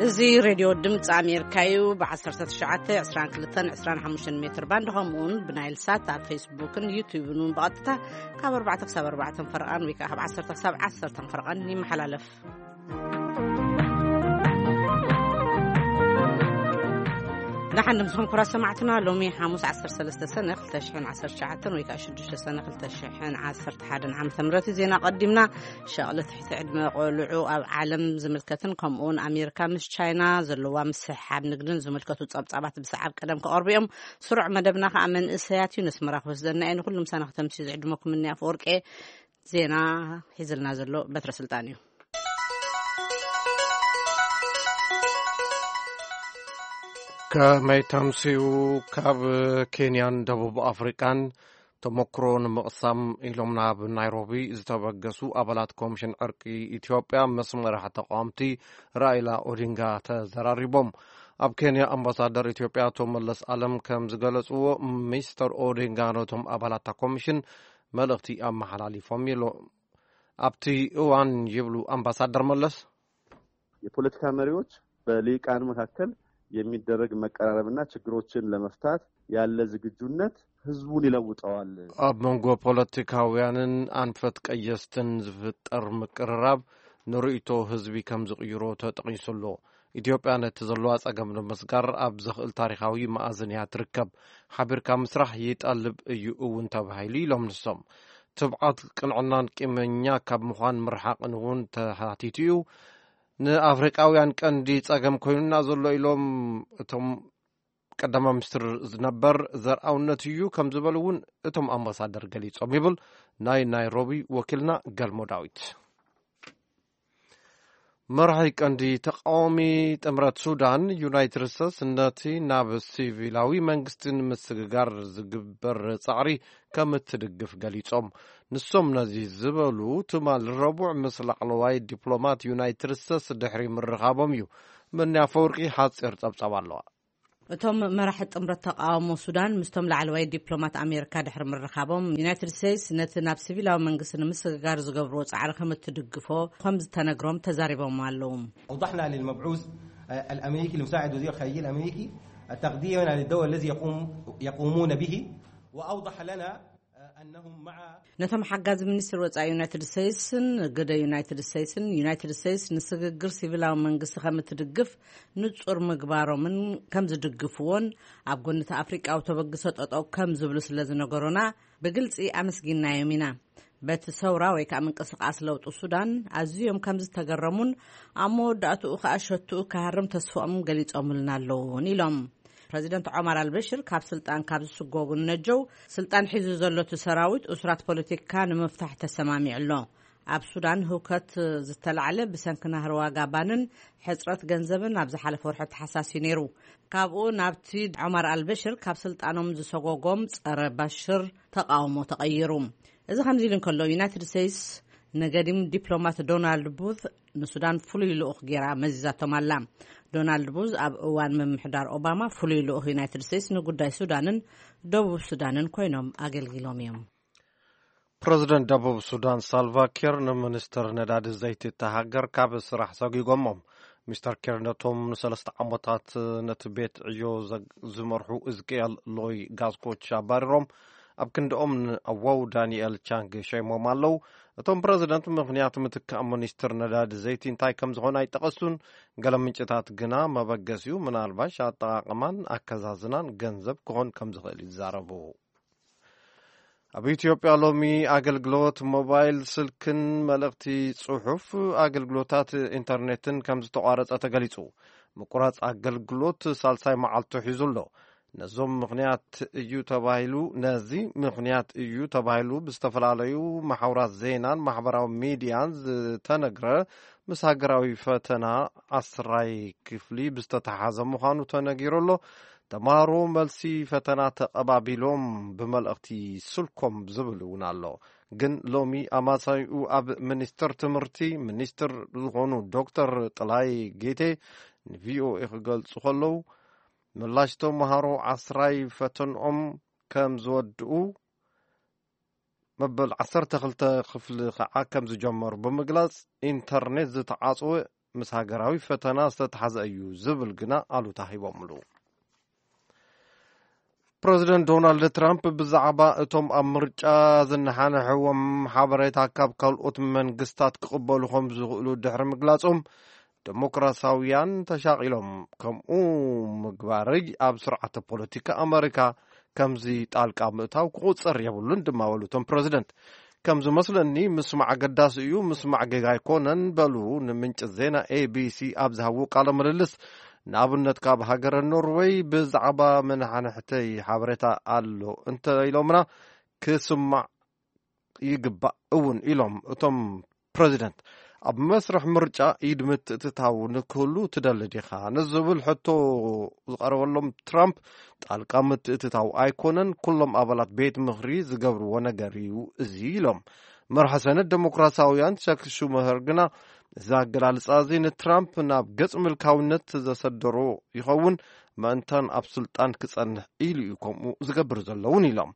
እዚ ሬድዮ ድምፂ ኣሜሪካ እዩ። ብ1922-25 ሜትር ባንድ፣ ከምኡውን ብናይል ሳት ኣብ ፌስቡክን ዩቱብን እውን ብቐጥታ ካብ ኣርባዕተ ክሳብ ኣርባዕተ ፈርቓን ወይ ከዓ ካብ ዓሰርተ ክሳብ ዓሰርተ ፈርቓን ይመሓላለፍ። ደሓን ድምፅኹም ክቡራት ሰማዕትና። ሎሚ ሓሙስ ዓሰርተ ሰለስተ ሰነ ክልተ ሽሕን ዓሰርተ ትሽዓተን ወይ ከዓ ሽዱሽተ ሰነ ክልተ ሽሕን ዓሰርተ ሓደን ዓመተ ምህረት እዩ። ዜና ቀዲምና። ሸቕሊ ትሕቲ ዕድመ ቆልዑ ኣብ ዓለም ዝምልከትን ከምኡውን ኣሜሪካ ምስ ቻይና ዘለዋ ምስሕሓብ ንግድን ዝምልከቱ ጸብጻባት ብሰዓብ ቀደም ክቐርቡ እዮም። ስሩዕ መደብና ከዓ መንእሰያት እዩ። ነስመራ ክወስደና እየ። ንኩሉ ምሳና ክተምስዩ ዝዕድመኩም እኒ ኣፈወርቄ። ዜና ሒዝልና ዘሎ በትረ ስልጣን እዩ። ከመይ ተምስዩ? ካብ ኬንያን ደቡብ ኣፍሪቃን ተመክሮ ንምቕሳም ኢሎም ናብ ናይሮቢ ዝተበገሱ ኣባላት ኮሚሽን ዕርቂ ኢትዮጵያ ምስ መራሒ ተቃወምቲ ራኢላ ኦዲንጋ ተዘራሪቦም። ኣብ ኬንያ ኣምባሳደር ኢትዮጵያ ኣቶ መለስ ኣለም ከም ዝገለጽዎ፣ ሚስተር ኦዲንጋ ነቶም ኣባላት እታ ኮሚሽን መልእኽቲ ኣመሓላሊፎም ኢሎ። ኣብቲ እዋን ይብሉ ኣምባሳደር መለስ፣ የፖለቲካ መሪዎች በልሂቃን መካከል የሚደረግ መቀራረብና ችግሮችን ለመፍታት ያለ ዝግጁነት ህዝቡን ይለውጠዋል። ኣብ መንጎ ፖለቲካውያንን ኣንፈት ቀየስትን ዝፍጠር ምቅርራብ ንርእይቶ ህዝቢ ከም ዝቕይሮ ተጠቒሱ ኣሎ። ኢትዮጵያ ነቲ ዘለዋ ጸገም ንምስጋር ኣብ ዘኽእል ታሪኻዊ መኣዝን እያ ትርከብ። ሓቢርካ ምስራሕ ይጠልብ እዩ እውን ተባሂሉ ኢሎም ንሶም። ትብዓት፣ ቅንዕናን ቂመኛ ካብ ምዃን ምርሓቕን እውን ተሓቲቱ እዩ። ንኣፍሪቃውያን ቀንዲ ጸገም ኮይኑና ዘሎ ኢሎም እቶም ቀዳማይ ሚኒስትር ነበር ዘርኣውነት እዩ ከም ዝበሉ እውን እቶም ኣምባሳደር ገሊጾም ይብል ናይ ናይሮቢ ወኪልና ገልሞ ዳዊት። መራሒ ቀንዲ ተቃዋሚ ጥምረት ሱዳን ዩናይትድ ስቴትስ ነቲ ናብ ሲቪላዊ መንግስቲ ንምስግጋር ዝግበር ጻዕሪ ከም እትድግፍ ገሊጾም። ንሶም ነዚ ዝበሉ ትማል ረቡዕ ምስ ላዕለዋይ ዲፕሎማት ዩናይትድ ስቴትስ ድሕሪ ምርኻቦም እዩ። መኒ ኣፈወርቂ ሓጺር ጸብጻብ ኣለዋ። እቶም መራሒ ጥምረት ተቃውሞ ሱዳን ምስቶም ላዕለዋይ ዲፕሎማት ኣሜሪካ ድሕሪ ምርኻቦም፣ ዩናይትድ ስቴትስ ነቲ ናብ ሲቪላዊ መንግስቲ ንምስግጋር ዝገብርዎ ጻዕሪ ከም እትድግፎ ከም ዝተነግሮም ተዛሪቦም ኣለዉ። أوضحنا للمبعوث، آه، الأمريكي لمساعد وزير الخارجية الأمريكي التقدير للدور الذي يقوم يقومون به، وأوضح لنا، آه، أنهم مع ነቶም ሓጋዚ ሚኒስትር ወጻኢ ዩናይትድ ስቴትስን ግደ ዩናይትድ ስቴትስን፣ ዩናይትድ ስቴትስ ንስግግር ሲቪላዊ መንግስቲ ከም እትድግፍ ንጹር ምግባሮምን ከም ዝድግፍዎን፣ ኣብ ጎኒ እቲ ኣፍሪቃዊ ተበግሶ ጠጠው ከም ዝብሉ ስለ ዝነገሩና ብግልጺ ኣመስጊናዮም ኢና። በቲ ሰውራ ወይ ከዓ ምንቅስቃስ ለውጢ ሱዳን ኣዝዮም ከም ዝተገረሙን ኣብ መወዳእትኡ ከዓ ሸትኡ ክሃርም ተስፍኦም ገሊጾምልና ኣለውን ኢሎም። ፕረዚደንት ዖማር ኣልበሽር ካብ ስልጣን ካብ ዝስጎጉ ንነጀው፣ ስልጣን ሒዙ ዘሎ እቲ ሰራዊት እሱራት ፖለቲካ ንምፍታሕ ተሰማሚዑ ኣሎ። ኣብ ሱዳን ህውከት ዝተላዕለ ብሰንኪ ናህሪ ዋጋ ባንን ሕጽረት ገንዘብን ኣብ ዝሓለፈ ወርሒ ተሓሳሲ ነይሩ። ካብኡ ናብቲ ዖማር ኣልበሽር ካብ ስልጣኖም ዝሰጎጎም ጸረ ባሽር ተቃውሞ ተቐይሩ። እዚ ከምዚ ኢሉ እንከሎ፣ ዩናይትድ ስቴትስ ንገዲም ዲፕሎማት ዶናልድ ቡት ንሱዳን ፍሉይ ልኡኽ ገይራ መዚዛቶም ኣላ። ዶናልድ ቡዝ ኣብ እዋን ምምሕዳር ኦባማ ፍሉይ ልኡኽ ዩናይትድ ስቴትስ ንጉዳይ ሱዳንን ደቡብ ሱዳንን ኮይኖም ኣገልጊሎም እዮም። ፕረዚደንት ደቡብ ሱዳን ሳልቫ ኪር ንሚኒስትር ነዳዲ ዘይቲ እታ ሃገር ካብ ስራሕ ሰጒጎሞም። ሚስተር ኪር ነቶም ንሰለስተ ዓመታት ነቲ ቤት ዕዮ ዘግ-፣ ዝመርሑ እዝቅኤል ሎይ ጋስኮች ኣባሪሮም፣ ኣብ ክንድኦም ንኣዋው ዳንኤል ቻንግ ሸይሞም ኣለዉ። እቶም ፕረዚደንት ምኽንያት ምትካእ ሚኒስትር ነዳዲ ዘይቲ እንታይ ከም ዝኾነ ኣይጠቐሱን። ገለ ምንጭታት ግና መበገሲኡ ምናልባሽ ኣጠቓቕማን ኣከዛዝናን ገንዘብ ክኾን ከም ዝኽእል ይዛረቡ። ኣብ ኢትዮጵያ ሎሚ ኣገልግሎት ሞባይል ስልክን መልእኽቲ ጽሑፍ ኣገልግሎታት ኢንተርኔትን ከም ዝተቋረጸ ተገሊጹ። ምቁራጽ ኣገልግሎት ሳልሳይ መዓልቱ ሒዙ ኣሎ። ነዞም ምኽንያት እዩ ተባሂሉ፣ ነዚ ምኽንያት እዩ ተባሂሉ ብዝተፈላለዩ ማሕበራት ዜናን ማሕበራዊ ሚድያን ዝተነግረ፣ ምስ ሃገራዊ ፈተና ዓስራይ ክፍሊ ብዝተተሓሓዘ ምዃኑ ተነጊሩ ኣሎ። ተምሃሮ መልሲ ፈተና ተቐባቢሎም ብመልእኽቲ ስልኮም ዝብል እውን ኣሎ። ግን ሎሚ ኣማሳይኡ ኣብ ሚኒስትር ትምህርቲ ሚኒስትር ዝኾኑ ዶክተር ጥላይ ጌቴ ንቪኦኤ ክገልጹ ከለዉ፣ ምላሽ ተምሃሮ ዓስራይ ፈተንኦም ከም ዝወድኡ፣ መበል ዓሰርተ ክልተ ክፍሊ ከዓ ከም ዝጀመሩ ብምግላጽ፣ ኢንተርኔት ዝተዓጽወ ምስ ሃገራዊ ፈተና ዝተተሓዘ እዩ ዝብል ግና ኣሉታ ሂቦምሉ። ፕረዚደንት ዶናልድ ትራምፕ ብዛዕባ እቶም ኣብ ምርጫ ዝነሓንሕዎም ሓበሬታ ካብ ካልኦት መንግስታት ክቕበሉ ከም ዝኽእሉ ድሕሪ ምግላጾም፣ ዴሞክራሲያውያን ተሻቒሎም፣ ከምኡ ምግባረይ ኣብ ስርዓተ ፖለቲካ ኣመሪካ ከምዚ ጣልቃ ምእታው ክቑጸር የብሉን ድማ በሉ እቶም ፕረዚደንት። ከም ዝመስለኒ ምስማዕ ኣገዳሲ እዩ፣ ምስማዕ ጌጋ ኣይኮነን በሉ ንምንጭ ዜና ኤ ቢ ሲ ኣብ ዝሃብዎ ቃለ ምልልስ። ንኣብነት ካብ ሃገረ ኖርወይ ብዛዕባ መናሕንሕተይ ሓበሬታ ኣሎ እንተ ኢሎምና ክስማዕ ይግባእ እውን ኢሎም እቶም ፕረዚደንት። ኣብ መስርሕ ምርጫ ኢድ ምትእትታው ንክህሉ ትደሊ ዲኻ ንዝብል ሕቶ ዝቐረበሎም ትራምፕ፣ ጣልቃ ምትእትታው ኣይኮነን፣ ኩሎም ኣባላት ቤት ምኽሪ ዝገብርዎ ነገር እዩ እዚ ኢሎም። መርሒ ሰነት ዴሞክራሲያውያን ቸክ ሹመኸር ግና እዚ ኣገላልጻ እዚ ንትራምፕ ናብ ገጽ ምልካውነት ዘሰደሮ ይኸውን፣ ምእንታን ኣብ ስልጣን ክጸንሕ ኢሉ እዩ ከምኡ ዝገብር ዘለውን ኢሎም።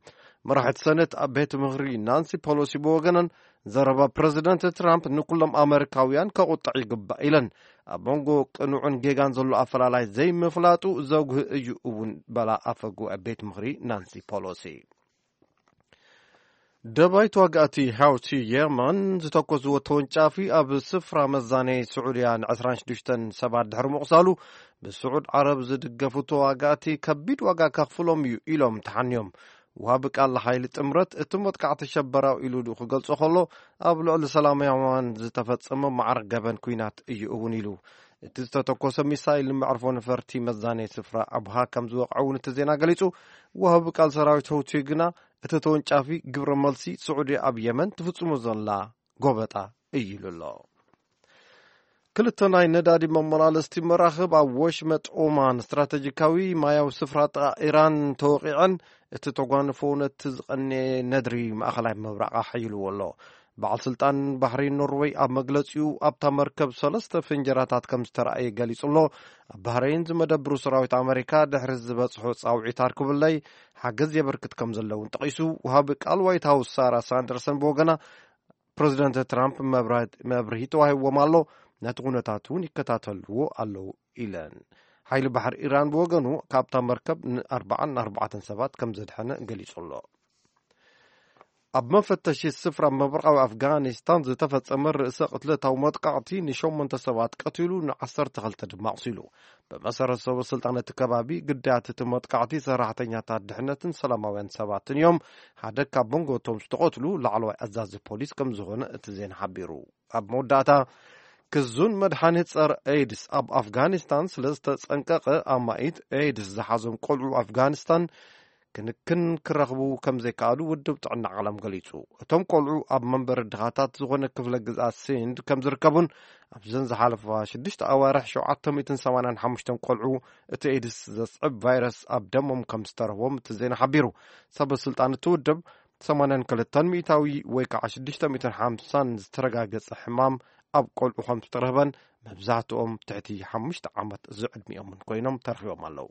መራሒት ሰነት ኣብ ቤት ምኽሪ ናንሲ ፖሎሲ ብወገነን፣ ዘረባ ፕረዚደንት ትራምፕ ንኩሎም ኣመሪካውያን ከቑጥዕ ይግባእ ኢለን። ኣብ መንጎ ቅኑዕን ጌጋን ዘሎ ኣፈላላይ ዘይምፍላጡ ዘጉህ እዩ እውን በላ ኣፈ ጉባኤ ቤት ምኽሪ ናንሲ ፖሎሲ። ደባይ ተዋጋእቲ ሐውቲ የመን ዝተኮስዎ ተወንጫፊ ኣብ ስፍራ መዛነዪ ስዑድያ ን ዕስራን ሽዱሽተን ሰባት ድሕሪ ምቑሳሉ፣ ብስዑድ ዓረብ ዝድገፉ ተዋጋእቲ ከቢድ ዋጋ ከኽፍሎም እዩ ኢሎም ተሓንዮም። ወሃቢ ቃል ሓይሊ ጥምረት እቲ መጥቃዕቲ ሸበራዊ ኢሉ ክገልጾ ከሎ፣ ኣብ ልዕሊ ሰላማውያን ዝተፈጸመ ማዕረ ገበን ኲናት እዩ እውን ኢሉ። እቲ ዝተተኮሰ ሚሳይል ንመዕርፎ ነፈርቲ መዛነዪ ስፍራ ኣብሃ ከም ዝወቕዐ እውን እቲ ዜና ገሊጹ። ወሃቢ ቃል ሰራዊት ሐውቲ ግና እቲ ተወንጫፊ ግብረ መልሲ ስዑዲ ኣብ የመን ትፍጽሞ ዘላ ጎበጣ እዩ ኢሉ ኣሎ። ክልተ ናይ ነዳዲ መመላለስቲ መራኽብ ኣብ ወሽመጥ ኦማን ስትራተጂካዊ ማያዊ ስፍራ ጥቓ ኢራን ተወቒዐን፣ እቲ ተጓንፎ ነቲ ዝቐነየ ነድሪ ማእኸላይ ምብራቕ ኣሓይልዎ ኣሎ። በዓል ስልጣን ባሕሪ ኖርወይ ኣብ መግለጺኡ ኣብታ መርከብ ሰለስተ ፍንጀራታት ከም ዝተረኣየ ገሊጹ ኣሎ። ኣብ ባህረይን ዝመደብሩ ሰራዊት ኣመሪካ ድሕሪ ዝበጽሖ ጻውዒት ኣርክብለይ ሓገዝ የበርክት ከም ዘለውን ጠቒሱ። ወሃቢ ቃል ዋይት ሃውስ ሳራ ሳንደርሰን ብወገና ፕረዚደንት ትራምፕ መብራ-፣ መብርሂ ተዋሂብዎም ኣሎ፣ ነቲ ኩነታት እውን ይከታተልዎ ኣለዉ ኢለን። ሓይሊ ባሕሪ ኢራን ብወገኑ ካብታ መርከብ ንኣርባዓን ኣርባዕተን ሰባት ከም ዘድሐነ ገሊጹ ኣሎ። ኣብ መፈተሺ ስፍራ ምብራቓዊ ኣፍጋኒስታን ዝተፈጸመ ርእሰ ቅትለታዊ መጥቃዕቲ ንሸሞንተ ሰባት ቀቲሉ ንዓሰርተ ክልተ ድማ ኣቑሲሉ። ብመሰረት ሰበ ስልጣን እቲ ከባቢ ግዳያት እቲ መጥቃዕቲ ሰራሕተኛታት ድሕነትን ሰላማውያን ሰባትን እዮም። ሓደ ካብ መንጎ እቶም ዝተቐትሉ ላዕለዋይ ኣዛዚ ፖሊስ ከም ዝኾነ እቲ ዜና ሓቢሩ። ኣብ መወዳእታ ክዙን መድሓኒት ጸረ ኤድስ ኣብ ኣፍጋኒስታን ስለ ዝተጸንቀቐ ኣማኢት ኤድስ ዝሓዞም ቆልዑ ኣፍጋኒስታን ክንክን ክረኽቡ ከም ዘይከኣሉ ውድብ ጥዕና ዓለም ገሊጹ። እቶም ቆልዑ ኣብ መንበሪ ድኻታት ዝኾነ ክፍለ ግዝኣት ሲንድ ከም ዝርከቡን ኣብዘን ዝሓለፋ ሽዱሽተ ኣዋርሕ ሸውዓተ ሚእትን ሰማንያን ሓሙሽተን ቆልዑ እቲ ኤድስ ዘስዕብ ቫይረስ ኣብ ደሞም ከም ዝተረኽቦም እቲ ዜና ሓቢሩ። ሰበ ስልጣን እቲ ውድብ ሰማንያን ክልተን ሚእታዊ ወይ ከዓ ሽዱሽተ ሚእትን ሓምሳን ዝተረጋገጸ ሕማም ኣብ ቆልዑ ከም ዝተረኽበን መብዛሕትኦም ትሕቲ ሓሙሽተ ዓመት ዝዕድሚኦምን ኮይኖም ተረኺቦም ኣለዉ።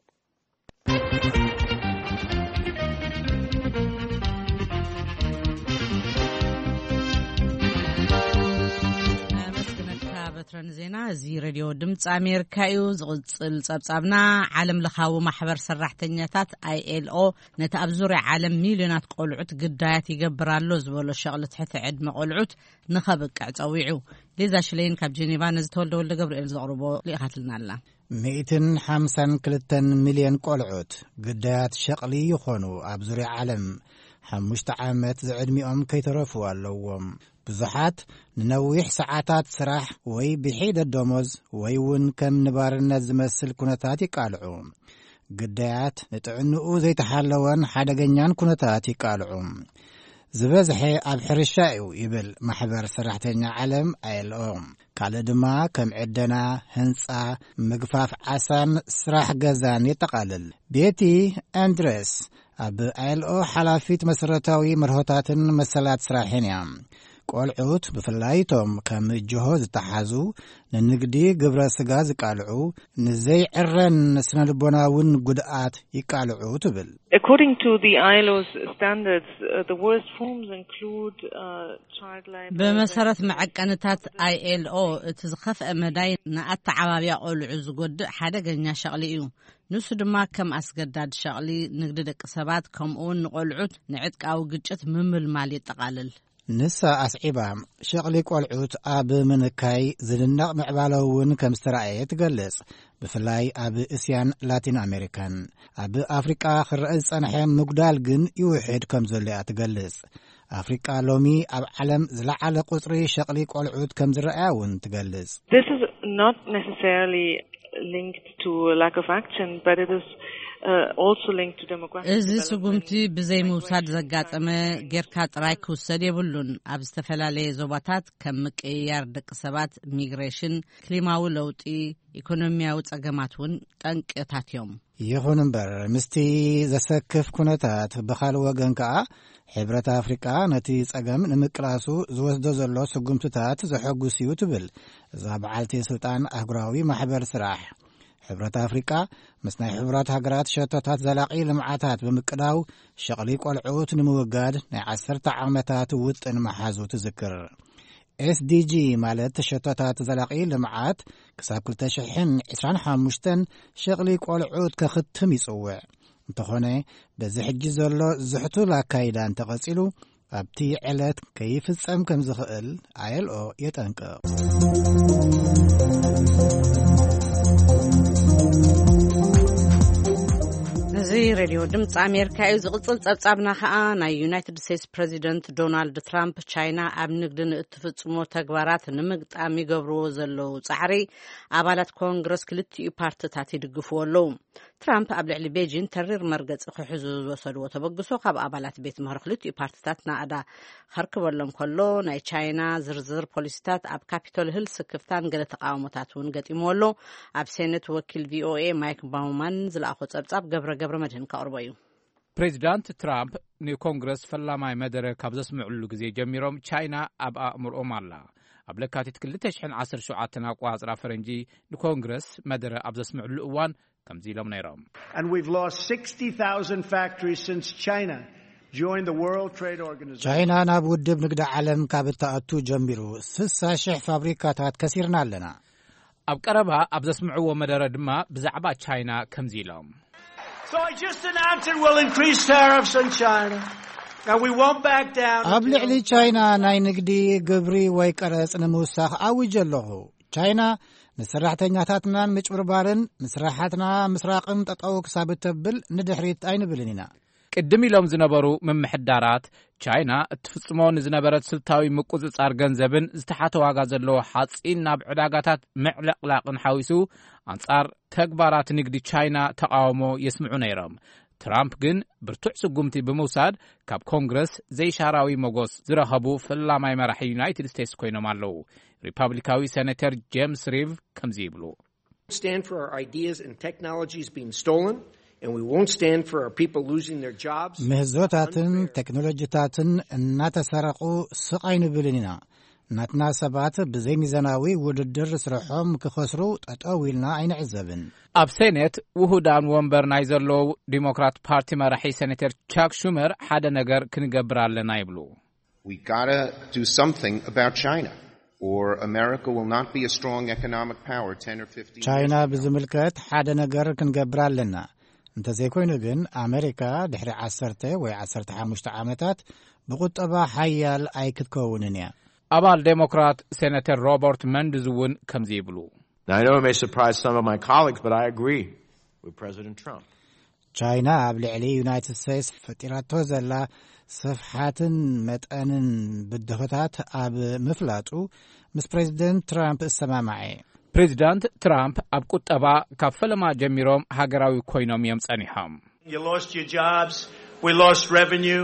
ኣመስግነካ በትረ ንዜና። እዚ ሬድዮ ድምፂ ኣሜሪካ እዩ። ዝቕፅል ጸብጻብና፣ ዓለም ለኻዊ ማሕበር ሰራሕተኛታት ኣይ ኤል ኦ ነቲ ኣብ ዙርያ ዓለም ሚልዮናት ቆልዑት ግዳያት ይገብር ኣሎ ዝበሎ ሸቕሊ ትሕቲ ዕድመ ቆልዑት ንኸብቅዕ ጸዊዑ። ሊዛ ሽሌን ካብ ጄኔቫ ነዚ ተወልደ ወልደ ገብርኤል ዘቕርቦ ልኢኻትልና ኣላ። ሚእትን ሓምሳን ክልተን ሚልዮን ቆልዑት ግዳያት ሸቕሊ ይኾኑ ኣብ ዙርያ ዓለም። ሓሙሽተ ዓመት ዝዕድሚኦም ከይተረፉ ኣለዎም። ብዙሓት ንነዊሕ ሰዓታት ስራሕ ወይ ብሒደት ደሞዝ ወይ እውን ከም ንባርነት ዝመስል ኩነታት ይቃልዑ። ግዳያት ንጥዕንኡ ዘይተሓለወን ሓደገኛን ኩነታት ይቃልዑ። ዝበዝሐ ኣብ ሕርሻ እዩ ይብል ማሕበር ሰራሕተኛ ዓለም ኣይ ኤል ኦ። ካልእ ድማ ከም ዕደና፣ ህንጻ፣ ምግፋፍ ዓሳን ስራሕ ገዛን የጠቓልል። ቤቲ ኣንድረስ ኣብ ኣይ ኤል ኦ ሓላፊት መሰረታዊ መርሆታትን መሰላት ስራሕን እያ። ቆልዑት፣ ብፍላይ እቶም ከም ጅሆ ዝተሓዙ፣ ንንግዲ ግብረ ስጋ ዝቃልዑ፣ ንዘይዕረን ስነ ልቦናውን ጉድኣት ይቃልዑ ትብል። According to the I L O's standards, uh, the worst forms include, uh, child labor. ብመሰረት መዐቀንታት I L O፣ እቲ ዝኸፍአ መዳይ ንኣተዓባብያ ቆልዑ ዝጎድእ ሓደገኛ ሸቕሊ እዩ። ንሱ ድማ ከም ኣስገዳድ ሸቕሊ፣ ንግዲ ደቂ ሰባት፣ ከምኡውን ንቆልዑት ንዕጥቃዊ ግጭት ምምልማል የጠቓልል። ንሳ ኣስዒባ፣ ሸቕሊ ቆልዑት ኣብ ምንካይ ዝድነቕ ምዕባለ እውን ከም ዝተራእየ ትገልጽ፣ ብፍላይ ኣብ እስያን ላቲን ኣሜሪካን። ኣብ ኣፍሪቃ ክረአ ዝጸንሐ ምጉዳል ግን ይውሕድ ከም ዘሎ እያ ትገልጽ። ኣፍሪቃ ሎሚ ኣብ ዓለም ዝለዓለ ቁጽሪ ሸቕሊ ቆልዑት ከም ዝረኣያ እውን ትገልጽ። This is not necessarily linked to a lack of action, but it is, uh, also linked to demographic እዚ development, ስጉምቲ ብዘይ ምውሳድ migration ዘጋጠመ ጌርካ ጥራይ ክውሰድ የብሉን። ኣብ ዝተፈላለየ ዞባታት ከም ምቅይያር ደቂ ሰባት፣ ሚግሬሽን፣ ክሊማዊ ለውጢ፣ ኢኮኖሚያዊ ጸገማት እውን ጠንቅታት እዮም። ይኹን እምበር፣ ምስቲ ዘሰክፍ ኩነታት፣ ብኻልእ ወገን ከኣ፣ ሕብረት ኣፍሪቃ ነቲ ጸገም ንምቅላሱ ዝወስዶ ዘሎ ስጉምትታት ዘሐጉስ እዩ ትብል እዛ በዓልቲ ስልጣን ኣህጉራዊ ማሕበር ስራሕ። ሕብረት ኣፍሪቃ ምስ ናይ ሕቡራት ሃገራት ሸቶታት ዘላቒ ልምዓታት ብምቅዳው፣ ሸቕሊ ቆልዑት ንምውጋድ ናይ ዓሰርተ ዓመታት ውጥን መሓዙ ትዝክር። S D G ማለት ሸቶታት ዘላቒ ልምዓት ክሳብ ክልተ ሽሕን ዕስራን ሓሙሽተን ሸቕሊ ቆልዑት ከኽትም ይጽውዕ። እንተኾነ፣ በዚ ሕጂ ዘሎ ዝሕቱል ኣካይዳ እንተቐጺሉ፣ ኣብቲ ዕለት ከይፍጸም ከም ዝኽእል I L O የጠንቅቕ። እዚ ሬድዮ ድምፂ ኣሜሪካ እዩ። ዝቕጽል ጸብጻብና ኸኣ፣ ናይ ዩናይትድ ስቴትስ ፕሬዚደንት ዶናልድ ትራምፕ፣ ቻይና ኣብ ንግዲ ንእትፍጽሞ ተግባራት ንምግጣም ይገብርዎ ዘለዉ ጻዕሪ፣ ኣባላት ኮንግረስ ክልቲኡ ፓርትታት ይድግፍዎ ኣለዉ። ትራምፕ ኣብ ልዕሊ ቤጂን ተሪር መርገጺ ክሕዙ ዝወሰድዎ ተበግሶ፣ ካብ ኣባላት ቤት ምኽሪ ክልቲኡ ፓርትታት ናእዳ ከርክበሎም ከሎ፣ ናይ ቻይና ዝርዝር ፖሊሲታት ኣብ ካፒቶል ህል ስክፍታን ገለ ተቃውሞታት እውን ገጢምዎ ኣሎ። ኣብ ሴኔት ወኪል V O A ማይክ ባውማን ዝለኣኾ ጸብጻብ ገብረ ገብረ መድህን ከቕርቦ እዩ። ፕሬዚዳንት ትራምፕ ንኮንግረስ ፈላማይ መደረ ካብ ዘስምዕሉ ግዜ ጀሚሮም፣ ቻይና ኣብ ኣእምሮኦም ኣላ። ኣብ ለካቲት ክልተ ሽሕን ዓሰርተ ሸውዓተን ኣቆጻጽራ ፈረንጂ፣ ንኮንግረስ መደረ ኣብ ዘስምዕሉ እዋን ከምዚ ኢሎም ነይሮም። And we've lost sixty thousand factories since China joined the World Trade Organization. ቻይና ናብ ውድብ ንግዲ ዓለም ካብ እትኣቱ ጀሚሩ፣ ስሳ ሽሕ ፋብሪካታት ከሲርና ኣለና። ኣብ ቀረባ ኣብ ዘስምዕዎ መደረ ድማ ብዛዕባ ቻይና ከምዚ ኢሎም። So I just announced that we'll increase tariffs on China, and we won't back down ኣብ until ልዕሊ ቻይና ናይ ንግዲ ግብሪ ወይ ቀረጽ ንምውሳኽ ኣዊጀ ኣለኹ። ቻይና ንሰራሕተኛታትናን ምጭብርባርን ንስራሓትና ምስራቕን ጠጠው ክሳብ እተብል ንድሕሪት ኣይንብልን ኢና። ቅድም ኢሎም ዝነበሩ ምምሕዳራት፣ ቻይና እትፍጽሞ ንዝነበረት ስልታዊ ምቁጽጻር ገንዘብን ዝተሓተ ዋጋ ዘለዎ ሓጺን ናብ ዕዳጋታት ምዕልቕላቕን ሓዊሱ፣ ኣንጻር ተግባራት ንግዲ ቻይና ተቓውሞ የስምዑ ነይሮም። ትራምፕ ግን ብርቱዕ ስጉምቲ ብምውሳድ፣ ካብ ኮንግረስ ዘይሻራዊ መጎስ ዝረኸቡ ፈላማይ መራሒ ዩናይትድ ስቴትስ ኮይኖም ኣለዉ። ሪፓብሊካዊ ሴኔተር ጄምስ ሪቭ ከምዚ ይብሉ። Stand for our ideas and technologies being stolen, and we won't stand for our people losing their jobs. ምህዞታትን ቴክኖሎጂታትን እናተሰረቑ ስቕ ኣይንብልን ኢና። ናትና ሰባት ብዘይሚዛናዊ ውድድር ስርሖም ክኸስሩ ጠጠው ኢልና ኣይንዕዘብን። ኣብ ሴኔት ውሁዳን ወንበር ናይ ዘለዉ ዲሞክራት ፓርቲ መራሒ ሴኔተር ቻክ ሹመር ሓደ ነገር ክንገብር ኣለና ይብሉ። We gotta do something about China, or America will not be a strong economic power ten or fifteen years ቻይና from now. ብዝምልከት ሓደ ነገር ክንገብር ኣለና። እንተዘይኮይኑ ግን፣ ኣመሪካ ድሕሪ ዓሰርተ ወይ ዓሰርተ ሓሙሽተ ዓመታት ብቁጠባ ሓያል ኣይክትከውንን እያ። ኣባል ዴሞክራት ሴኔተር ሮበርት መንድዝ እውን ከምዚ ይብሉ። Now, I know it may surprise some of my colleagues, but I agree with President Trump. ቻይና ኣብ ልዕሊ ዩናይትድ ስቴትስ ፈጢራቶ ዘላ ስፍሓትን መጠንን ብድሆታት ኣብ ምፍላጡ፣ ምስ ፕሬዚደንት ትራምፕ እሰማማዐ። ፕሬዚዳንት ትራምፕ ኣብ ቁጠባ ካብ ፈለማ ጀሚሮም ሃገራዊ ኮይኖም እዮም ጸኒሖም። You lost your jobs, we lost revenue,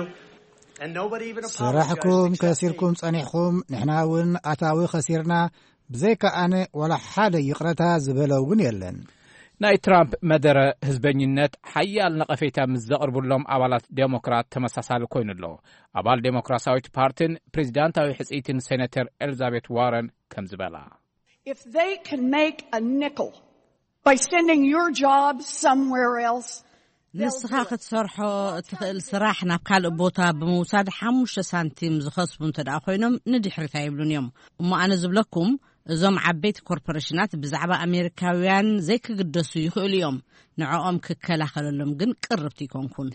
and nobody even apologized ስራሕኩም except me. ከሲርኩም ጸኒሕኩም፣ ንሕና እውን ኣታዊ ከሲርና፣ ብዘይካ ኣነ ዋላ ሓደ ይቕረታ ዝበለ እውን የለን። ናይ ትራምፕ መደረ ህዝበኝነት ሓያል ነቐፌታ ምስ ዘቕርብሎም ኣባላት ዴሞክራት ተመሳሳሊ ኮይኑ ኣሎ። ኣባል ዴሞክራሲያዊት ፓርቲን ፕሬዚዳንታዊ ሕጽይትን ሴኔተር ኤልዛቤት ዋረን ከም ዝበላ፣ If they can make a nickel by sending your job somewhere else, ንስኻ ክትሰርሖ እትኽእል ስራሕ ናብ ካልእ ቦታ ብምውሳድ ሓሙሽተ ሳንቲም ዝኸስቡ እንተ ደኣ ኮይኖም ንድሕሪት ኣይብሉን እዮም። እሞ ኣነ ዝብለኩም፣ እዞም ዓበይቲ ኮርፖሬሽናት ብዛዕባ ኣሜሪካውያን ዘይክግደሱ ይኽእሉ እዮም። ንዕኦም ክከላኸለሎም ግን ቅርብቲ ይኮንኩን።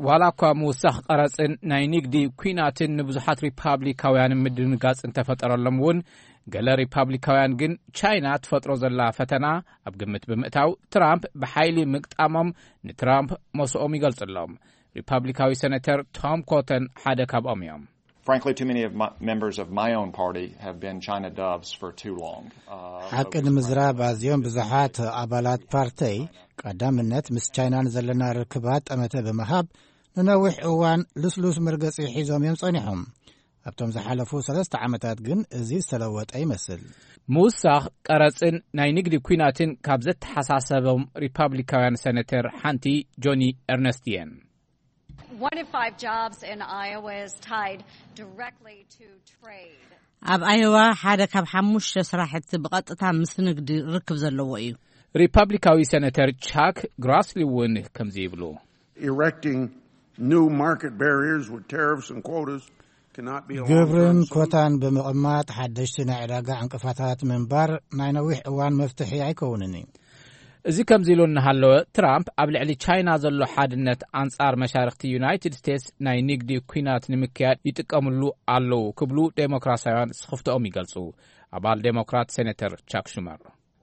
ዋላ እኳ ምውሳኽ ቀረጽን ናይ ንግዲ ኲናትን ንብዙሓት ሪፓብሊካውያን ምድንጋጽ እንተፈጠረሎም እውን፣ ገለ ሪፓብሊካውያን ግን ቻይና ትፈጥሮ ዘላ ፈተና ኣብ ግምት ብምእታው ትራምፕ ብሓይሊ ምግጣሞም ንትራምፕ መስኦም ይገልጽሎም። ሪፓብሊካዊ ሴኔተር ቶም ኮተን ሓደ ካብኦም እዮም። Frankly, too many of my, members of my own party have been China doves for too long. Uh, ሓቂ ንምዝራብ ኣዝዮም ብዙሓት ኣባላት ፓርተይ ቀዳምነት ምስ ቻይና ንዘለና ርክባት ጠመተ ብምሃብ ንነዊሕ እዋን ልስሉስ መርገጺ ሒዞም እዮም ጸኒሖም። ኣብቶም ዝሓለፉ ሰለስተ ዓመታት ግን እዚ ዝተለወጠ ይመስል። ምውሳኽ ቀረጽን ናይ ንግዲ ኲናትን ካብ ዘተሓሳሰቦም ሪፓብሊካውያን ሴኔተር ሓንቲ ጆኒ ኤርነስት እየን። One in five jobs in Iowa is tied directly to trade. ኣብ ኣየዋ ሓደ ካብ ሓሙሽተ ስራሕቲ ብቐጥታ ምስ ንግዲ ርክብ ዘለዎ እዩ። ሪፓብሊካዊ ሴኔተር ቻክ ግራስሊ እውን ከምዚ ይብሉ። Erecting new market barriers with tariffs and quotas cannot be a ግብርን long-term solution. ኮታን ብምቕማጥ ሓደሽቲ ናይ ዕዳጋ ዕንቅፋታት ምንባር ናይ ነዊሕ እዋን መፍትሒ ኣይከውንን እዩ። እዚ ከምዚ ኢሉ እናሃለወ፣ ትራምፕ ኣብ ልዕሊ ቻይና ዘሎ ሓድነት ኣንጻር መሻርኽቲ ዩናይትድ ስቴትስ ናይ ንግዲ ኲናት ንምክያድ ይጥቀምሉ ኣለዉ ክብሉ ዴሞክራሲያውያን ስኽፍትኦም ይገልጹ። ኣባል ዴሞክራት ሴኔተር ቻክ ሹመር፣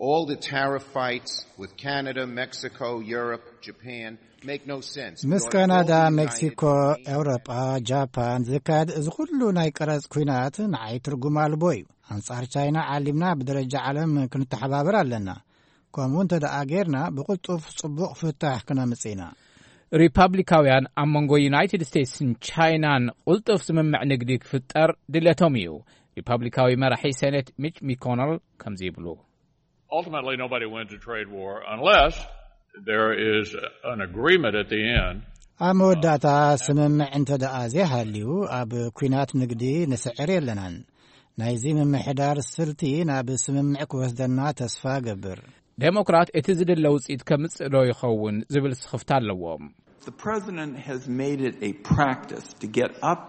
All the tariff fights with Canada, Mexico, Europe, Japan make no sense. ምስ ካናዳ፣ ሜክሲኮ፣ ኤውሮጳ፣ ጃፓን ዝካየድ እዚ ኩሉ ናይ ቀረጽ ኲናት ንዓይ ትርጉም ኣልቦ እዩ። ኣንጻር ቻይና ዓሊምና ብደረጃ ዓለም ክንተሓባበር ኣለና። ከምኡ እንተ ደኣ ጌርና ብቕልጡፍ ጽቡቕ ፍታሕ ክነምጽእ ኢና። ሪፓብሊካውያን ኣብ መንጎ ዩናይትድ ስቴትስን ቻይናን ቁልጡፍ ስምምዕ ንግዲ ክፍጠር ድሌቶም እዩ። ሪፓብሊካዊ መራሒ ሴኔት ሚች ሚኮነል ከምዚ ይብሉ። Ultimately, nobody wins a trade war unless there is an agreement at the end. ኣብ መወዳእታ ስምምዕ እንተ ደኣ ዘይሃልዩ ኣብ ኲናት ንግዲ ንስዕር የለናን። ናይዚ ምምሕዳር ስልቲ ናብ ስምምዕ ክወስደና ተስፋ ገብር። ዴሞክራት እቲ ዝድለ ውጽኢት ከምጽእ ዶ ይኸውን ዝብል ስኽፍታ ኣለዎም። The president has made it a practice to get up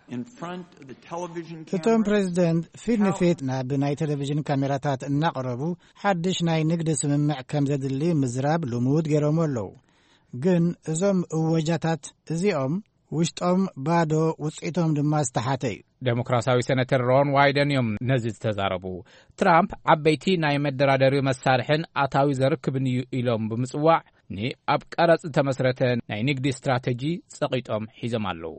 in front of the television እቶም camera. ፕሬዚደንት ፊት ንፊት ናብ ናይ ቴሌቪዥን ካሜራታት እናቐረቡ ሓድሽ ናይ ንግዲ ስምምዕ ከም ዘድሊ ምዝራብ ልሙድ ገይሮም ኣለዉ። ግን እዞም እወጃታት እዚኦም ውሽጦም ባዶ፣ ውጽኢቶም ድማ ዝተሓተ እዩ። ዴሞክራሲያዊ ሴኔተር ሮን ዋይደን እዮም ነዚ ዝተዛረቡ። ትራምፕ ዓበይቲ ናይ መደራደሪ መሳርሕን ኣታዊ ዘርክብን እዩ ኢሎም ብምጽዋዕ፣ ንኣብ ቀረጽ ዝተመስረተ ናይ ንግዲ ስትራተጂ ጸቒጦም ሒዞም ኣለዉ።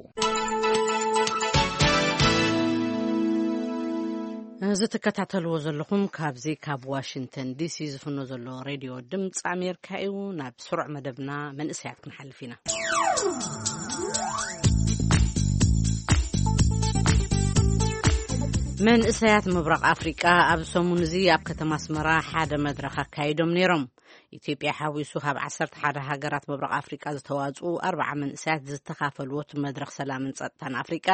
እዚ ትከታተልዎ ዘለኹም ካብዚ ካብ ዋሽንግተን ዲሲ ዝፍኖ ዘሎ ሬድዮ ድምፂ ኣሜሪካ እዩ። ናብ ስሩዕ መደብና መንእሰያት ክንሓልፍ ኢና። መንእሰያት ምብራቕ ኣፍሪቃ ኣብ ሰሙን እዚ ኣብ ከተማ ኣስመራ ሓደ መድረኽ ኣካይዶም ነይሮም። ኢትዮጵያ ሓዊሱ ካብ ዓሰርተ ሓደ ሃገራት ምብራቕ ኣፍሪቃ ዝተዋፅኡ ኣርባዓ መንእሰያት ዝተኻፈሉዎ እቲ መድረኽ ሰላምን ጸጥታን ኣፍሪቃ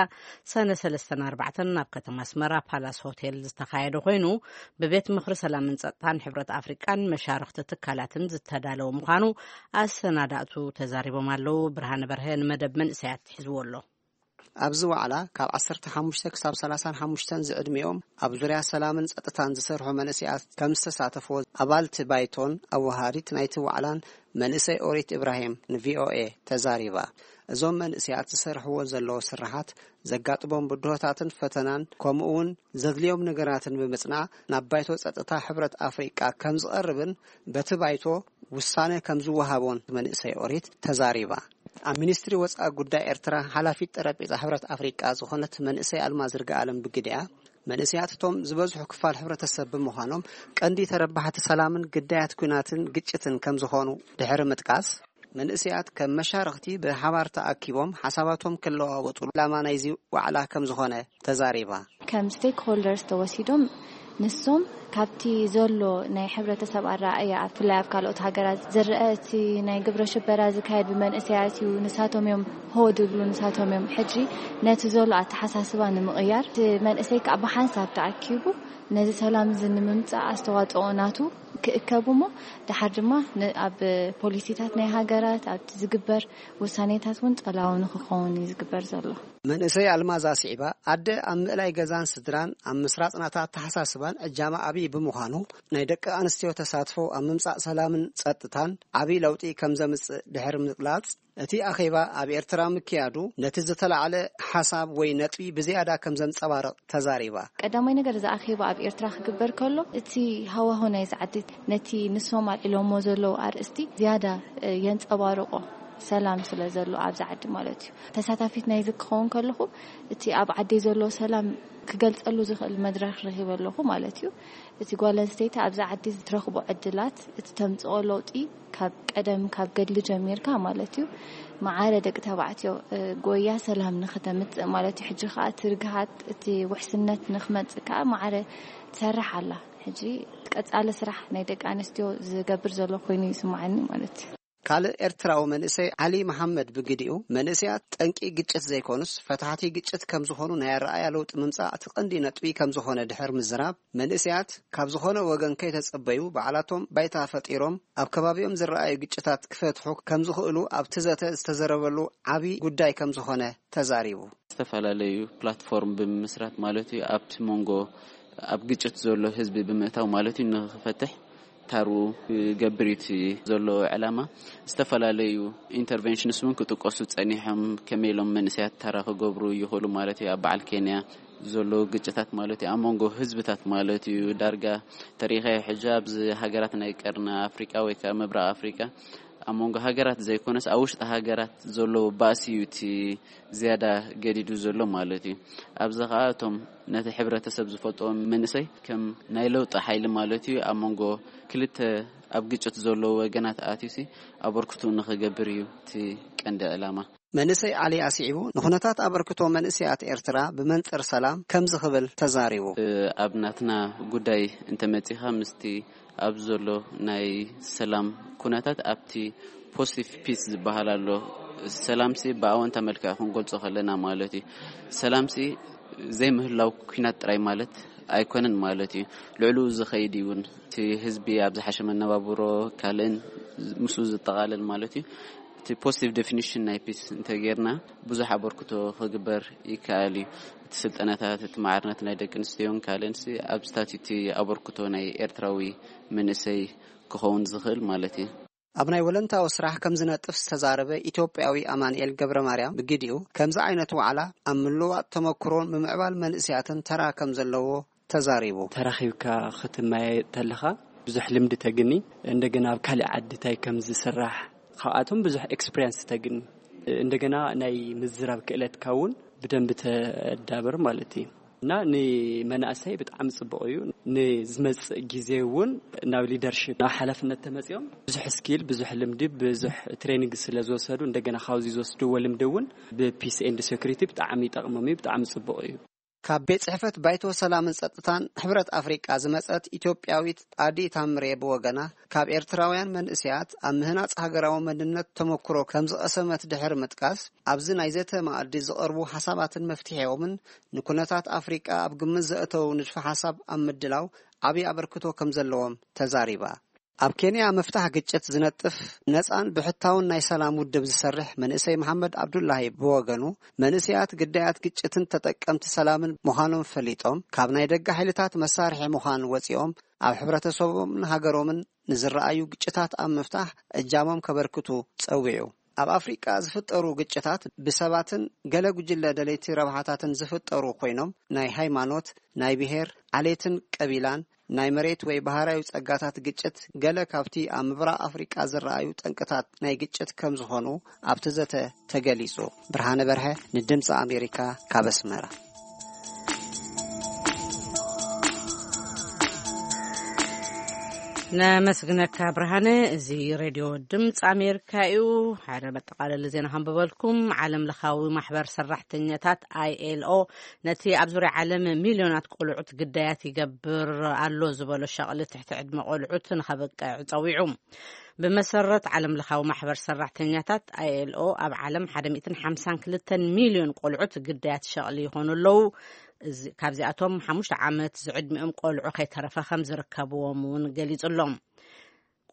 ሰነ ሰለስተን ኣርባዕተን ኣብ ከተማ ኣስመራ ፓላስ ሆቴል ዝተኻየደ ኮይኑ፣ ብቤት ምኽሪ ሰላምን ጸጥታን ሕብረት ኣፍሪቃን መሻርኽቲ ትካላትን ዝተዳለወ ምዃኑ ኣሰናዳእቱ ተዛሪቦም ኣለዉ። ብርሃነ በርሀ ንመደብ መንእሰያት ሒዝዎ ኣሎ። ኣብዚ ዋዕላ ካብ ዓሰርተ ሓሙሽተ ክሳብ ሰላሳን ሓሙሽተን ዝዕድሚኦም ኣብ ዙርያ ሰላምን ጸጥታን ዝሰርሑ መንእሰያት ከም ዝተሳተፍዎ ኣባልቲ ባይቶን ኣወሃዲት ናይቲ ዋዕላን መንእሰይ ኦሪት ኢብራሂም ንቪኦኤ ተዛሪባ። እዞም መንእሰያት ዝሰርሕዎ ዘለዉ ስራሓት ዘጋጥሞም ብድሆታትን ፈተናን ከምኡ እውን ዘድልዮም ነገራትን ብምጽናዕ ናብ ባይቶ ጸጥታ ሕብረት ኣፍሪቃ ከም ዝቐርብን በቲ ባይቶ ውሳነ ከም ዝወሃቦን መንእሰይ ኦሪት ተዛሪባ። ኣብ ሚኒስትሪ ወጻኢ ጉዳይ ኤርትራ ሓላፊት ጠረጴዛ ሕብረት ኣፍሪቃ ዝኾነት መንእሰይ ኣልማዝ ርግኣለም ብግዲኣ፣ መንእሰያት እቶም ዝበዝሑ ክፋል ሕብረተሰብ ብምዃኖም ቀንዲ ተረባሕቲ ሰላምን ግዳያት ኲናትን ግጭትን ከም ዝኾኑ ድሕሪ ምጥቃስ፣ መንእሰያት ከም መሻርኽቲ ብሓባር ተኣኪቦም ሓሳባቶም ክለዋወጡሉ ዕላማ ናይዚ ዋዕላ ከም ዝኾነ ተዛሪባ። ከም ስቴክሆልደርስ ተወሲዶም ንሶም ካብቲ ዘሎ ናይ ሕብረተሰብ ኣረኣእያ፣ ብፍላይ ኣብ ካልኦት ሃገራት ዝረአ፣ እቲ ናይ ግብረ ሽበራ ዝካየድ ብመንእሰያት እዩ፣ ንሳቶም እዮም ሆ ድብሉ፣ ንሳቶም እዮም ሕጂ ነቲ ዘሎ ኣተሓሳስባ ንምቕያር፣ እቲ መንእሰይ ከዓ ብሓንሳብ ተኣኪቡ ነዚ ሰላም እዚ ንምምፃእ ኣስተዋፅኦ ናቱ ክእከብ እሞ፣ ደሓር ድማ ን- ኣብ ፖሊሲታት ናይ ሃገራት ኣብቲ ዝግበር ውሳኔታት እውን ጸላዊ ንክኸውን እዩ ዝግበር ዘሎ። መንእሰይ ኣልማዝ ኣስዒባ፣ ኣደ ኣብ ምእላይ ገዛን ስድራን፣ ኣብ ምስራጽ ናታ ኣተሓሳስባን እጃማ ዓብዪ ብምዃኑ፣ ናይ ደቂ ኣንስትዮ ተሳትፎ ኣብ ምምጻእ ሰላምን ጸጥታን ዓብዪ ለውጢ ከም ዘምጽእ ድሕሪ ምግላጽ፣ እቲ ኣኼባ ኣብ ኤርትራ ምክያዱ ነቲ ዝተላዕለ ሓሳብ ወይ ነጥቢ ብዝያዳ ከም ዘንጸባርቕ ተዛሪባ። ቀዳማይ ነገር፣ እዚ ኣኼባ ኣብ ኤርትራ ክግበር ከሎ፣ እቲ ሃዋሁ ናይ ዝዓዲ ነቲ ንሶም ኣልዒሎሞ ዘለዉ ኣርእስቲ ዝያዳ፣ እ፣ የንጸባርቆ። ሰላም ስለ ዘሎ ኣብዚ ዓዲ ማለት እዩ። ተሳታፊት ናይዚ ክኸውን ከለኹ፣ እቲ ኣብ ዓደይ ዘሎ ሰላም ክገልጸሉ ዝኽእል መድረኽ ረኺበ ኣለኹ ማለት እዩ። እቲ ጓል ኣንስተይቲ ኣብዚ ዓዲ ዝትረኽቦ ዕድላት፣ እቲ ተምጽኦ ለውጢ ካብ ቀደም ካብ ገድሊ ጀሚርካ ማለት እዩ፣ መዓረ ደቂ ተባዕትዮ፣ እ፣ ጎያ ሰላም ንኽተምጽእ ማለት እዩ። ሕጂ ከኣ እቲ ርግሃት፣ እቲ ውሕስነት ንኽመጽእ ከኣ መዓረ ትሰርሕ ኣላ። ሕጂ ቀጻሊ ስራሕ ናይ ደቂ ኣንስትዮ ዝገብር ዘሎ ኮይኑ ይስምዓኒ ማለት እዩ። ካልእ ኤርትራዊ መንእሰይ ዓሊ መሓመድ ብግዲኡ፣ መንእሰያት ጠንቂ ግጭት ዘይኮኑስ ፈታሕቲ ግጭት ከም ዝኾኑ ናይ ኣረኣያ ለውጢ ምምጻእ እቲ ቀንዲ ነጥቢ ከም ዝኾነ ድሕር ምዝራብ፣ መንእሰያት ካብ ዝኾነ ወገን ከይተጸበዩ ባዕላቶም ባይታ ፈጢሮም ኣብ ከባቢኦም ዝረኣዩ ግጭታት ክፈትሑ ከም ዝኽእሉ ኣብቲ ዘተ ዝተዘረበሉ ዓቢ ጉዳይ ከም ዝኾነ ተዛሪቡ። ዝተፈላለዩ ፕላትፎርም ብምምስራት ማለት እዩ፣ ኣብቲ መንጎ ኣብ ግጭት ዘሎ ህዝቢ ብምእታው ማለት እዩ፣ ንኽፈትሕ ታሩ ክገብር እዩ እቲ ዘሎ ዕላማ። ዝተፈላለዩ ኢንተርቨንሽንስ እውን ክጥቀሱ ጸኒሖም፣ ከመይ ኢሎም መንእሰያት ታራ ክገብሩ ይኽእሉ ማለት እዩ። ኣብ በዓል ኬንያ ዘሎ ግጭታት ማለት እዩ፣ ኣብ መንጎ ህዝብታት ማለት እዩ። ዳርጋ ተሪኸ ሕጂ ኣብዚ ሃገራት ናይ ቀርኒ ኣፍሪቃ ወይ ከዓ ምብራቕ ኣፍሪቃ ኣብ መንጎ ሃገራት ዘይኮነስ ኣብ ውሽጢ ሃገራት ዘሎ ባእሲ እዩ እቲ ዝያዳ ገዲዱ ዘሎ ማለት እዩ። ኣብዚ ኸዓ እቶም ነቲ ሕብረተሰብ ዝፈልጥዎ መንእሰይ ከም ናይ ለውጢ ሓይሊ ማለት እዩ፣ ኣብ መንጎ ክልተ ኣብ ግጭት ዘለዉ ወገናት ኣትዩሲ ኣበርክቱ ንኽገብር እዩ እቲ ቀንዲ ዕላማ። መንእሰይ ዓሊ ኣስዒቡ፣ ንኹነታት ኣበርክቶ መንእሰያት ኤርትራ ብመንጽር ሰላም ከምዚ ክብል ተዛሪቡ። እ፣ ኣብ ናትና ጉዳይ እንተመጺኻ ምስቲ ኣብ ዘሎ ናይ ሰላም ኩነታት ኣብቲ ፖዚቲቭ ፒስ ዝበሃል ኣሎ። ሰላምሲ ብኣወንታ መልክዕ ክንገልጾ ከለና ማለት እዩ። ሰላምሲ ዘይምህላው ኩናት ጥራይ ማለት ኣይኮነን ማለት እዩ። ልዕሉ ዝኸይድ እውን እቲ ህዝቢ ኣብ ዝሓሸ መነባብሮ ካልእን ምስ ዝጠቓለል ማለት እዩ። እቲ ፖዚቲቭ ዴፊኒሽን ናይ ፒስ እንተጌርና ብዙሕ ኣበርክቶ ክግበር ይከኣል እዩ። እቲ ስልጠናታት፣ እቲ ማዕርነት ናይ ደቂ ኣንስትዮን ካልእንሲ ኣብዚታት እቲ ኣበርክቶ ናይ ኤርትራዊ መንእሰይ ክኸውን ዝኽእል ማለት እዩ። ኣብ ናይ ወለንታዊ ስራሕ ከም ዝነጥፍ ዝተዛረበ ኢትዮጵያዊ ኣማንኤል ገብረ ማርያም ብግዲኡ፣ ከምዚ ዓይነት ዋዕላ ኣብ ምልዋጥ ተመክሮን ምምዕባል መንእሰያትን ተራ ከም ዘለዎ ተዛሪቡ። ተራኺብካ ክትመያየጥ ተለኻ ብዙሕ ልምዲ ተግኒ፣ እንደገና ኣብ ካልእ ዓዲ እንታይ ከም ዝስራሕ ካብኣቶም ብዙሕ ኤክስፒሪየንስ ተግኒ፣ እንደገና ናይ ምዝራብ ክእለትካ እውን ብደንቢ ተዳብር ማለት እዩ። እና ንመናእሰይ ብጣዕሚ ጽቡቕ እዩ። ንዝመጽእ ግዜ እውን ናብ ሊደርሺፕ፣ ናብ ሓላፍነት ተመጺኦም ብዙሕ ስኪል፣ ብዙሕ ልምዲ፣ ብዙሕ ትሬኒንግ ስለ ዝወሰዱ፣ እንደገና ካብዚ ዝወስድዎ ልምዲ እውን ብፒስ ኤንድ ሴኩሪቲ ብጣዕሚ ይጠቕሞም እዩ፣ ብጣዕሚ ጽቡቕ እዩ። ካብ ቤት ጽሕፈት ባይቶ ሰላምን ጸጥታን ሕብረት ኣፍሪቃ ዝመጸት ኢትዮጵያዊት ጣዲ ታምሬ ብወገና፣ ካብ ኤርትራውያን መንእሰያት ኣብ ምህናጽ ሃገራዊ መንነት ተመክሮ ከም ዝቐሰመት ድሕሪ ምጥቃስ፣ ኣብዚ ናይ ዘተ መኣዲ ዝቐርቡ ሓሳባትን መፍትሒኦምን ንኩነታት ኣፍሪቃ ኣብ ግምት ዘእተው ንድፈ ሓሳብ ኣብ ምድላው ዓቢ ኣበርክቶ ከም ዘለዎም ተዛሪባ። ኣብ ኬንያ ምፍታሕ ግጭት ዝነጥፍ ነጻን ብሕታውን ናይ ሰላም ውድብ ዝሰርሕ መንእሰይ መሓመድ ኣብዱላሂ ብወገኑ፣ መንእሰያት ግዳያት ግጭትን ተጠቀምቲ ሰላምን ምዃኖም ፈሊጦም፣ ካብ ናይ ደገ ሓይልታት መሳርሒ ምዃን ወጺኦም፣ ኣብ ሕብረተሰቦምን ሃገሮምን ንዝረኣዩ ግጭታት ኣብ ምፍታሕ እጃሞም ከበርክቱ ጸዊዑ። ኣብ ኣፍሪቃ ዝፍጠሩ ግጭታት ብሰባትን ገለ ጉጅለ ደለይቲ ረብሓታትን ዝፍጠሩ ኮይኖም፣ ናይ ሃይማኖት፣ ናይ ብሄር፣ ዓሌትን ቀቢላን፣ ናይ መሬት ወይ ባህራዊ ጸጋታት ግጭት ገለ ካብቲ ኣብ ምብራቕ ኣፍሪቃ ዝረኣዩ ጠንቅታት ናይ ግጭት ከም ዝኾኑ ኣብቲ ዘተ ተገሊጹ። ብርሃነ በርሀ ንድምጺ ኣሜሪካ ካብ ኣስመራ። ነመስግነካ ብርሃነ። እዚ ሬድዮ ድምፂ ኣሜሪካ እዩ። ሓደ መጠቓለሊ ዜና ከንብበልኩም። ዓለም ለኻዊ ማሕበር ሰራሕተኛታት፣ ኣይኤልኦ፣ ነቲ ኣብ ዙርያ ዓለም ሚልዮናት ቆልዑት ግዳያት ይገብር ኣሎ ዝበሎ ሸቕሊ ትሕቲ ዕድመ ቆልዑት ንኸብቅዕ ጸዊዑ። ብመሰረት ዓለም ለኻዊ ማሕበር ሰራሕተኛታት፣ ኣይኤልኦ፣ ኣብ ዓለም ሓደ ሚእትን ሓምሳን ክልተን ሚልዮን ቆልዑት ግዳያት ሸቕሊ ይኾኑ ኣለዉ። እዚ፣ ካብዚኣቶም ሓሙሽተ ዓመት ዝዕድሚኦም ቆልዑ ከይተረፈ ከም ዝርከብዎም እውን ገሊጹ ኣሎ።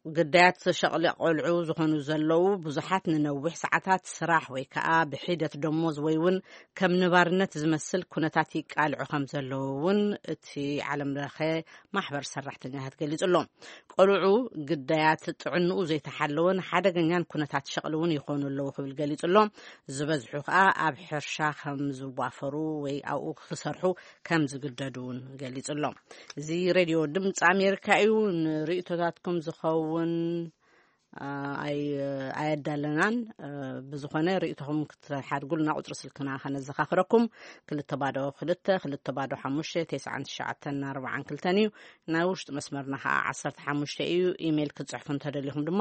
ግዳያት ሸቕሊ ቆልዑ ዝኾኑ ዘለዉ ብዙሓት ንነዊሕ ሰዓታት ስራሕ ወይ ከኣ ብሒደት ደሞዝ ወይ እውን ከም ንባርነት ዝመስል ኩነታት ይቃልዑ ከም ዘለዉ እውን እቲ ዓለም ለኸ ማሕበር ሰራሕተኛታት ገሊጹ ኣሎ። ቆልዑ ግዳያት ጥዕንኡ ዘይተሓለወን ሓደገኛን ኩነታት ሸቕሊ እውን ይኾኑ ኣለዉ ክብል ገሊጹ ኣሎ። ዝበዝሑ ከኣ ኣብ ሕርሻ ከም ዝዋፈሩ ወይ ኣብኡ ክሰርሑ ከም ዝግደዱ እውን ገሊጹ ኣሎ። እዚ ሬድዮ ድምፂ ኣሜሪካ እዩ። ንርእይቶታትኩም ዝኸውን፣ አ፣ ኣይ-፣ ኣየዳለናን። አ፣ ብዝኾነ ርእይቶኹም ክትሓድጉልና ቁጽሪ ስልክና ከነዘኻኽረኩም፣ ክልተ ባዶ ክልተ፣ ክልተ ባዶ ሓሙሽተ፣ ተስዓን ትሽዓተን ኣርባዓን ክልተን እዩ። ናይ ውሽጢ መስመርና ከኣ ዓሰርተ ሓሙሽተ እዩ። ኢሜይል ክትጽሕፉ እንተደሊኹም ድማ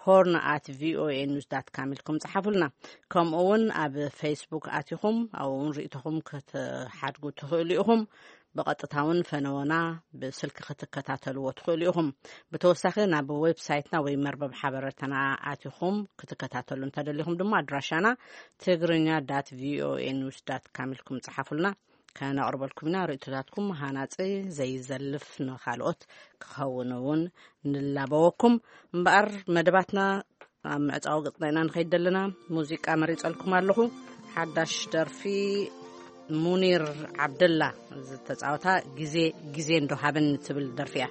ሆርን ኣት ቪኦኤ ኒውስ ዳት ካም ኢልኩም ጽሓፉልና። ከምኡ እውን ኣብ ፌስቡክ ኣቲኹም ኣብኡ እውን ርእይቶኹም ክትሓድጉ ትኽእሉ ኢኹም። ብቐጥታ እውን ፈነወና ብስልኪ ክትከታተልዎ ትኽእሉ ኢኹም። ብተወሳኺ ናብ ዌብሳይትና ወይ መርበብ ሓበሬታና ኣቲኹም ክትከታተሉ እንተደሊኹም ድማ ኣድራሻና ትግርኛ ዳት ቪኦኤ ኒውስ ዳት ካም ኢልኩም ጽሓፉልና። ከነቕርበልኩም ኢና። ርእይቶታትኩም ሃናጺ፣ ዘይዘልፍ፣ ንኻልኦት ክኸውን እውን ንላበወኩም። እምበኣር መደባትና ኣብ ምዕጻዊ ገጽና ኢና ንኸይድ ዘለና። ሙዚቃ መሪጸልኩም ኣለኹ። ሓዳሽ ደርፊ ሙኒር ዓብደላ ዝተጻወታ ግዜ፣ ግዜ እንዶ ሃበኒ ትብል ደርፊ እያ።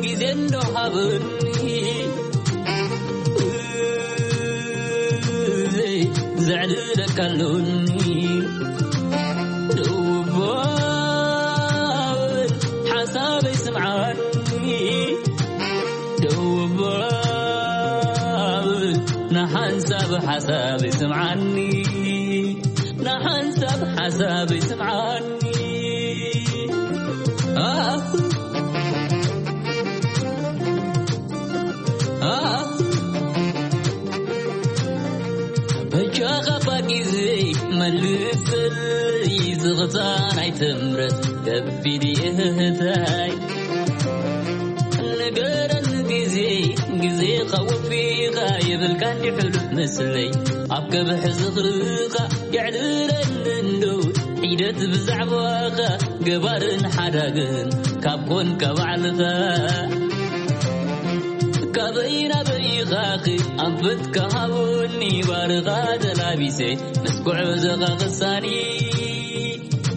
ግዜ እንዶ ሃበኒ ዘዕልለካ ኣሎኒ። ደው በል ሓሳበይ ስምዓኒ። ደው በል ንሓንሳብ ሓሳበይ ስምዓኒ። ንሓንሳብ ሓሳበይ ስምዓኒ። ኣህ፣ ኣህ። በጃኻ እባ ግዜ መልሰለይ፣ ዝኽታ ናይ ትምረት ከቢድ እህታይ። ንገረኒ ግዜ፣ ግዜኻ ወፊኻ የብልካ እንዲ ሕሉፍ ምስለይ። ኣብ ከብሒ ዝኽርኻ የዕልለኒ እንዶ ሒደት ብዛዕባኻ ገባርን ሓዳግን ካብ ኮንካ ባዕልኻ። ካበይ ናበይ ኢኻኺ ኣንፈትካ ሃቡኒ ባርኻ ተላቢሰ ምስ ጉዕዞኻ ክሳኒ።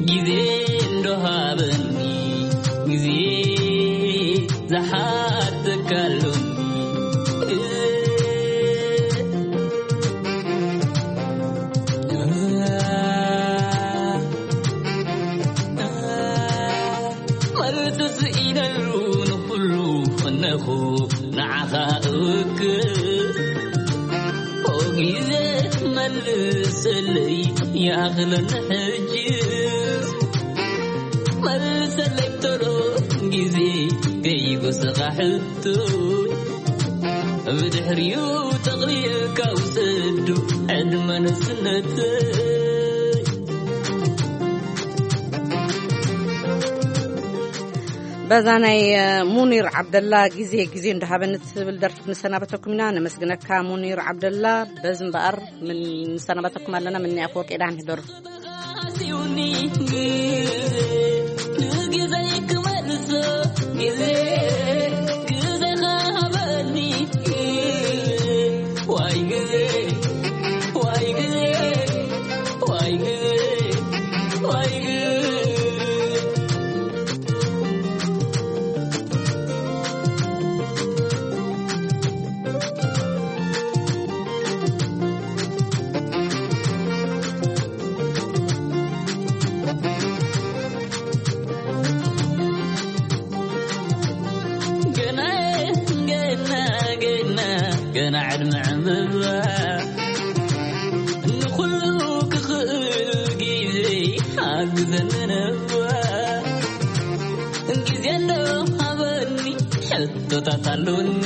ግዜ እንዶ ሃበኒ ግዜ ዝሓተካሉ መልሲ ስኢነሉ ንኹሉ ፈነኹ ንዓኻ እውክል። ኦ ግዜ መልሰለይ ይኣኽለኒ ሕጅስ። መልሰለይ ብቶሎ ግዜ ከይጎሰኻ ሕቶ። ብድሕሪኡ ጠቕሊልካ ውሰዱ ዕድመ ንእስነተይ። በዛ ናይ፣ እ፣ ሙኒር ዓብደላ ግዜ ግዜ እንዳሃበኒ ትብል ደርፊ ክንሰናበተኩም ኢና። ነመስግነካ ሙኒር ዓብደላ። በዚ እምበኣር ምን-፣ ንሰናበተኩም ኣለና። ምኒ ኣፈወርቂ ዳን ህደሩ። ንግዜይ ክመልሶ ግዜ፣ ግዜኻ ሃበኒ። ዋይ ግዜ፣ ዋይ ግዜ፣ ዋይ ግዜ፣ ዋይ ግዜ። ቶታት ኣሉኒ